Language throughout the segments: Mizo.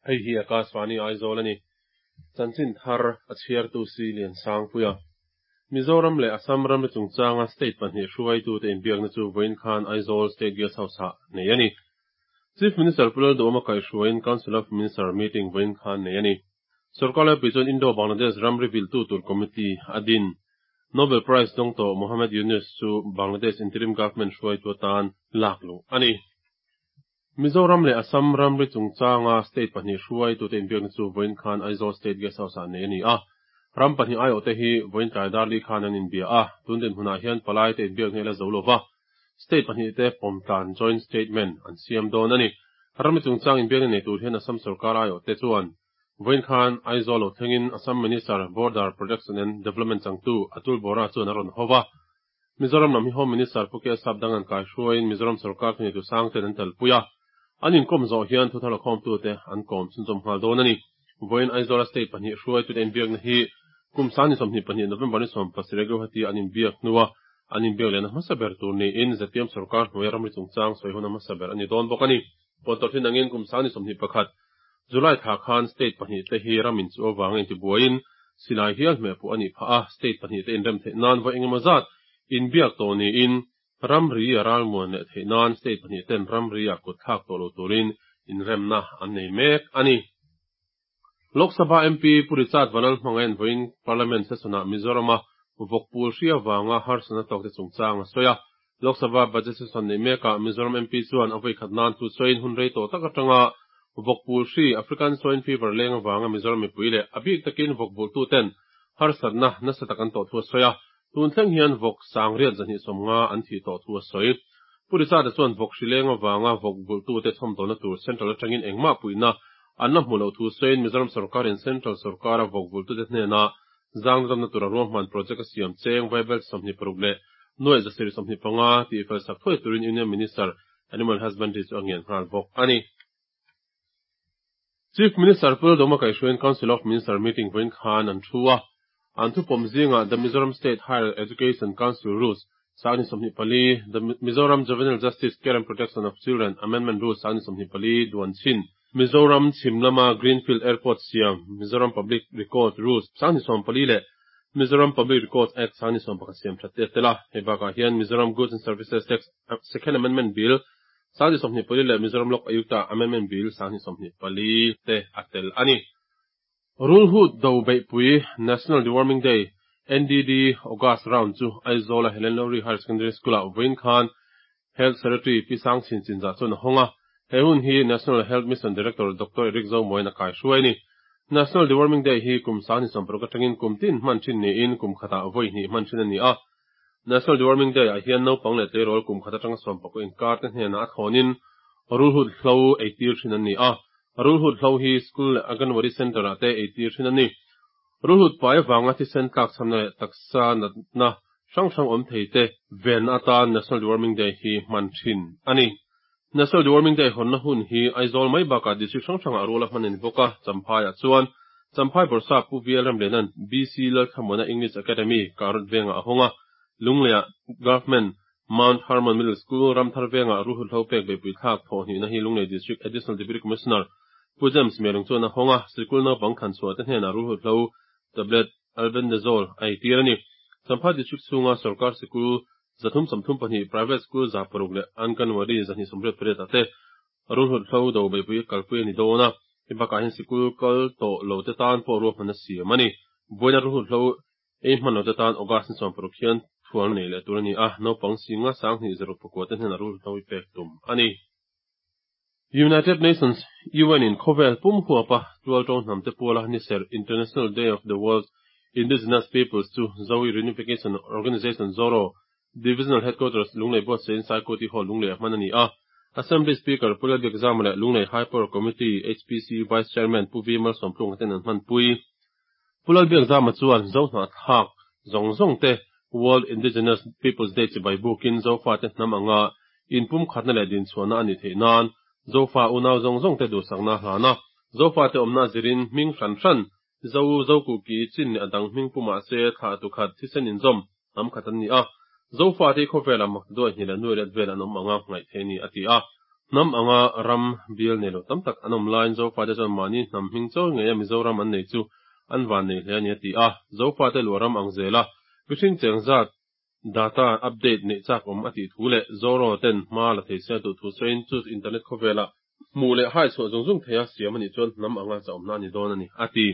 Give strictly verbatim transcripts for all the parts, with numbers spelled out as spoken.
Hei hi Akashvani Aizawl a ni. Chanchin thar a chhiartu si Lian Sangpuia. Mizoram leh Assam ramri chungchanga state pahnih hruaitute inbiakna chu vawiin khan Aizawl State Guest House-ah nei a ni. Chief Minister Pu Lalduhoma kaihhruaiin Council of Minister meeting vawiin khan nei a ni. Sorkar laipui chuan Indo-Bangladesh ramri viltu tur committee a din. Nobel Prize dawng tawh Muhammad Yunus chu Bangladesh interim government hruaitu atan lak luh a ni. Mizoram leh Assam ramri chungchanga state pahnih hruaitute inbiakna chu vawiin khan Aizawl State Guest House-ah nei a ni a. Ram pahnih aiawhte hi vawiin tlai dar li khan an inbia a, tun dinhmunah hian palaite inbiakna hi la zo lova, state pahnihte pawmtlan joint statement an siam dawn a ni. Ramri chungchang inbiakna nei tur hian Assam sorkar aiawhte chuan vawiin khan Aizawl lo thlengin Assam Minister Border Protection and Development changtu Atul Bora chuan a rawn ho va. Mizoram lam hi Home Minister Pu K Sapdang an kaihhruaiin Mizoram sorkar thuneitu sangten an telpui a. An inkawm zawh hian thuthar khawmtute an kawm chhunzawm nghal dawn a ni. Vawiin Aizawla state pahnih hruaitute inbiakna hi kum sangni sawmhnih pahnih November ni sawm pasarih Guwahati an inbiak hnua an inbiak lehna hmasa ber tur niin ZPM sorkar hnuaia ramri chungchang sawi hun a hmasa ber a ni dawn bawk a ni. Puantawrh angin kum sangni sawmhnih pakhat July thla khan state pahnih te hi ramin chu awanga intibuaiin silai hial hmeh pawh a nih phah a, state pahnih te inrem theih nan vawi engemaw zat inbiak tawh niin ramri a ralmuan leh theih nan state pahnih ten ramri a kut thlak tawh lo turin inremna an nei mek a ni. Lok Sabha MP Pu Richard Vanlalhmangaih vawiin Parliament session-ah Mizorama vawkpul hri awanga harsatna tawk te chungchang a sawi a. Lok Sabha budget session nei mekah Mizoram MP chuan a vawi khat nan thu sawiin hun rei tawh tak atanga vawkpul hri African Swine Fever leng awanga Mizoram mipui leh a bik takin vawkbultu ten harsatna nasa tak an tawh thu a sawi a. Tun thleng hian vawk sangriat zahnih sawmnga an thi tawh thu a sawi. Pu Richard chuan vawk hri leng awanga vawkbultu te chhawmdawlna tur central atangin engmah puihna an la hmu lo thu sawiin Mizoram sorkarin central sorkara vawkbultu te hnena zangdamna tur a ruahman project a siam cheng vaibel sawmhnih paruk leh nuai zasarih sawmhnih panga tih fel sak thuai turin Union Minister Animal Husbandry chu a ngen nghal bawk a ni. Chief Minister Pu Lalduhoma kaihhruaiin Council of Minister meeting vawiin khan an thu a. An thu pawm zingah The Mizoram State Higher Education Council Rules sangni sawmhnih pali, The Mizoram Juvenile Justice Care and Protection of Children Amendment Rules sangni sawmhnih pali duan chin, Mizoram chhimlama Greenfield Airport siam, Mizoram Public Record Rules sangni sawm pali leh Mizoram Public Records Act sangni sawm pakhat siam that te tela. Hei bakah hian Mizoram Goods and Services Tax Second Amendment Bill sangni sawmhnih pali leh Mizoram Lok Ayukta Amendment Bill sangni sawmhnih pali te a tel a ni. Rulhut do beihpui National Deworming Day NDD August round chu Aizawl a Helen Lowry Higher Secondary School-ah vawiin khan Health Secretary Pi Sangchhin Chinzah chuan a hawng a. He hun hi National Health Mission Director Dr. Eric Zomoin a kaihhruai a ni. National Deworming Day hi kum sangni sawmparuk atangin kum tin hman thin niin kum khatah vawi hnih hman thin a ni a. National Deworming Day ah hian naupang leh tleirawl kum khat atanga sawmpakua inkar te hnenah a thawnin rulhut hlo eitir thin an ni a. Rulhut hlo hi school leh Anganwadi Center ah te eitir thin a ni. Rulhut pai awanga thisen tlak chhamna leh taksa natna hrang hrang awm thei te venna atan National Deworming Day hi hman thin a ni. National Deworming Day hawnna hun hi Aizawl mai bakah district hrang hrangah rual a hman a ni bawk a. Champhaiah chuan Champhai Bawrhsap Pu VL Ramlianan BC Lalthlamuana English Academy Karut vengah a hawng a. Lungleiah Government Mount Hermon Middle School Ramthar vengah Rulhut hlo pek beihpui thlak thawh hnihna hi Lunglei District Additional Deputy Commissioner Pu James Melung chuan a hawng a. Sikul naupang thlanchhuah te hnenah Rulhut hlo tablet albendazole a eitir a ni. Champhai District chhunga sorkar sikul zathum sawmthum pahnih private school za paruk leh Anganwadi zahnih sawmriat pariat ah te Rulhut hlo do beihpui kalpui a ni dawn a. Hei bakah hian sikul kal tawh lo te tan pawh ruahman a siam a ni. Vawiina Rulhut hlo ei hman lo te tan August ni sawm paruk hian thual nei leh tur a ni a. Naupang singa sanghnih zaruk pakua te hnenah Rulhut hlo hi pek tum a ni. United Nations UN in khawvel pum huapa tual tawng hnam te puala ni ser International Day of the World Indigenous Peoples chu Zoe Reunification Organization Zoro Divisional Headquarters Lunglei Buatsain Saikoti Hall Lunglei a hman a ni a. Assembly Speaker Pu Lalbiakzama leh Lunglei High Power Committee HPC Vice Chairman Pu V Malsawmtlung ten an hman pui. Pu Lalbiakzama chuan zo hnahthlak zawng zawng te World Indigenous Peoples Day chibai bukin zofa te hnam anga inpum khatna leh dinchhuahna a ni theih nan zofa unau zawng zawng te duhsakna hlana zofa te awmna zirin hming hran hran zo zo kuki chin leh a dang hming pumah se thlah tu khat thisen inzawm hnam khat an ni a. Zofa te khawvela mak duai hnih leh nuai let vel an awm anga ngaih thei ni a ti a. Hnam anga ram bial nei lo tam tak an awm laiin Zofate chuan mahni hnam hming chawi ngeia Mizoram an nei chu an van nei hle a ni a ti a. Zofate luah ram ang zela mihring cheng zat data update neih chak awm a tih thu leh Zoro ten hma la thei se a duh thu sawiin chu internet khawvela hmuh leh hai chhuah zung zung theia siam a nih chuan hnam anga chauhna a ni dawn a ni a ti.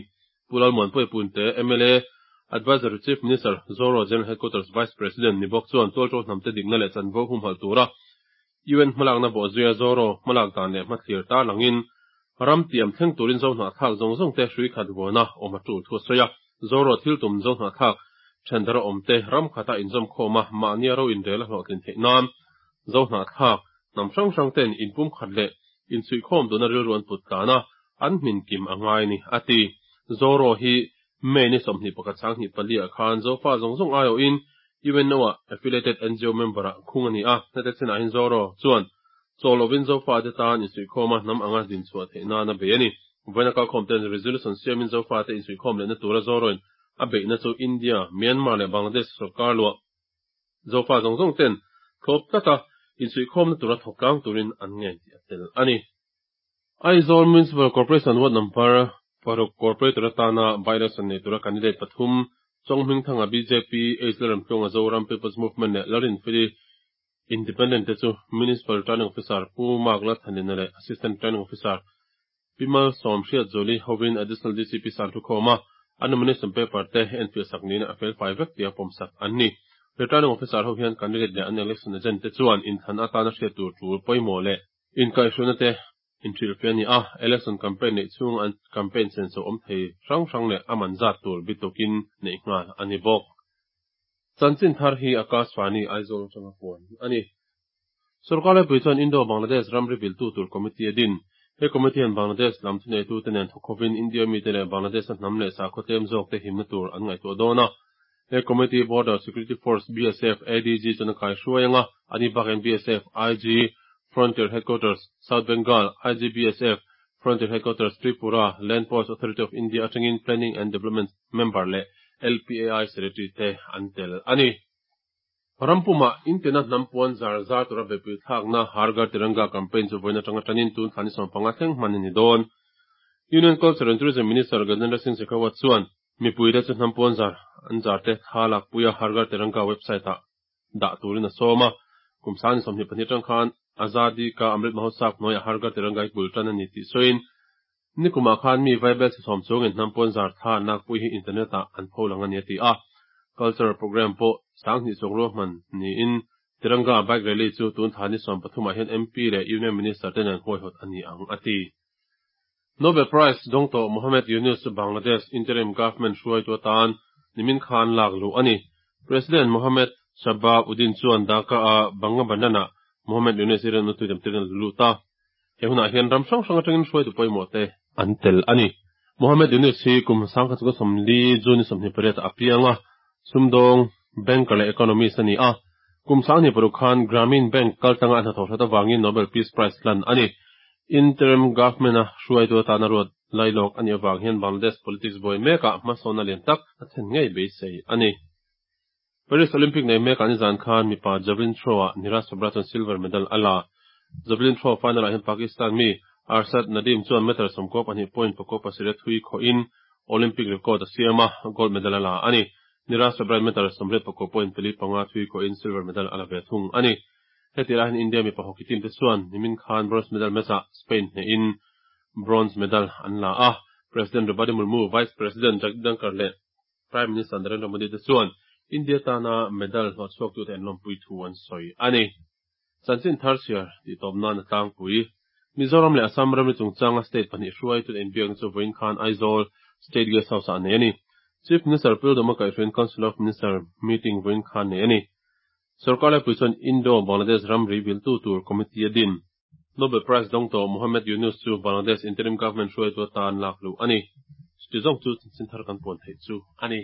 Pu Lalmuanpuia Punte, M L A, Advisor to Chief Minister, Zoro General Headquarters Vice President ni bawk chuan tualto hnamte dikna leh chanvo humhalh tura U N hmalakna bawhzuia Zoro hmalak dan leh hmathlir tarlangin ram tiam thleng turin zo hnahthlak zawng zawng te hrui khat vuana awm a tul thu a sawi a. Zoro thil tum zo hnahthlak thendara awm te ram khata inzawm khawma mahnia ro inrel a hlawhtlin theih nan zo hnahthlak hnam hrang hrang ten inpum khat leh inchhuihkhawm duna rilru an put tlana an hmin kim a ngai ni a ti. Zoro hi May ni sawmhnih pakhat sanghnih pali ah khan Zofa zawng zawng aiawhin U N O a affiliated N G O member ah khung a ni a. Hete chinah hin Zoro chuan chawlovin Zofa te tan insuihkhawma hnam anga din chhuah theih nan a bei a ni. Vawiina kalkhawm ten resolution siamin Zofa te insuihkhawm lehna tura Zoroin a beihna chu India, Myanmar leh Bangladesh sarkar luah Zofa zawng zawng ten thlawp tlata insuihkhawmna tura thawk turin an ngen tih a tel a ni. Aizawl Municipal Corporation Ward number paruk Corporator atana by-election nei tura candidate pathum Chonghming Thanga B J P, H Lalramtlunga Zoram People's Movement leh Lalrinfeli Independent te chu Municipal Returning Officer Pu Mark Lalthanlina leh Assistant Returning Officer Pimal Som Hriat Zoli hovin Additional D C P san thu khawma a nomination paper te enfiah sak niin a fel fai vek tia pawm sak an ni. Returning Officer ho hian candidate leh an election agent te chuan inthlan atana hriat tur tul pawimawh leh inkaihhruaina te inhrilh fe ani a. Election campaign neih chhung an campaign senso awm thei hrang hrang leh a man zat tur bitukin neih nghal ani bawk. Chanchin thar hi Akashvani Aizawl atanga puan ani. Sarkar laipui chuan Indo Bangladesh ramri viltu tur committee a din. He committee hian Bangladesh lam thuneitu te nen thawkhovin India mi te leh Bangladesh a hnam leh sakhaw tlem zawk te himna tur an ngaihtuah dawn a. He committee Border Security Force B S F A D G chuan a kai hruai anga ani bakin B S F I G Frontier Headquarters South Bengal, I G B S F Frontier Headquarters Tripura, Land Ports Authority of India atangin Planning and Development member leh L P A I Secretary te an tel ani. Rampuma intena hnampuan zar zar tura bepui thlakna Har Ghar Tiranga campaign chu vawiin atanga tanin tun thani sawm panga thleng hman ani dawn. Union Culture and Tourism Minister Gajendra Singh Shekhawat chuan mipui te chu hnampuan zar an zar te thla lak puia Har Ghar Tiranga website ah dah turin a sawm a. Kum sangni sawmhnih pahnih atang khan Azadi Ka Amrit Mahotsav hnuaiah Har Ghar Tiranga hi bul tan ani tih sawiin nikumah khan mi vaibel chi sawm chungin hnampuan zar thla nak pui hi internet ah an pho lang ani a ti a. Cultural program pawh sanghnih chuang ruahman niin Tiranga bike rally chu tun thani sawm pathumah hian M P leh Union Minister te nen huaihawt ani ang a ti. Nobel Prize dawng to Mohammed Yunus chu Bangladesh interim government hruaitu atan nimin khan lak lu ani. President Mohammed Shahabuddin chuan Dhaka a Bangabandhu Mohammed Yunus i rinna tuitem tirin lu ta. He hunah hian ram hrang hrang atangin hruaitu pawimawh te an tel ani. Mohammed Yunus hi kum sangkhat chu sawmli June sawmhnih pariat a pianga sumdawng banker leh economist ani a. Kum sanghnih paruk khan Grameen Bank kaltanga a hnathawh hlat awangin Nobel Peace Prize lan ani. Interim government a hruaitu atana ruat lailawk ani awang hian Bangladesh politics buai mekah hmasawna lian tak a thlen ngei beisei ani. Paris Olympic nei mek ani zan khan mipa javelin throw ah Neeraj Chopra chuan silver medal a la. Javelin throw final ah hian Pakistan mi Arshad Nadeem chuan meter sawmkaw pahnih point pakua pasarih thui khawhin Olympic record a siam a, gold medal a la ani. Neeraj Chopra meter sawmriat pakua point pali panga thui khawhin silver medal a la ve thung ani. Heti lai hian India mipa hockey team te chuan nimin khan bronze medal match ah Spain hnehin bronze medal an la a. President Draupadi Murmu, Vice President Jagdeep Dhankhar leh Prime Minister Narendra Modi te chuan India tana medal hlawh chhuak tu te an lawmpui thu an sawi ani. Chanchin thar chhiar tih tawp nan a tlangpui. Mizoram leh Assam ramri chungchanga state pahnih hruai tu inbiakna chu vawiin khan Aizawl State Guest House ah nei ani. Chief Minister Pu Lalduhoma kaihhruaiin Council of Minister meeting vawiin khan nei ani. Sarkar laipui chuan Indo Bangladesh ramri viltu tur committee a din. Nobel Prize dawng to Mohammed Yunus chu Bangladesh interim government hruaitu atan lak lu ani. Chu zawng chu chanchin thar kan puan theih chu ani.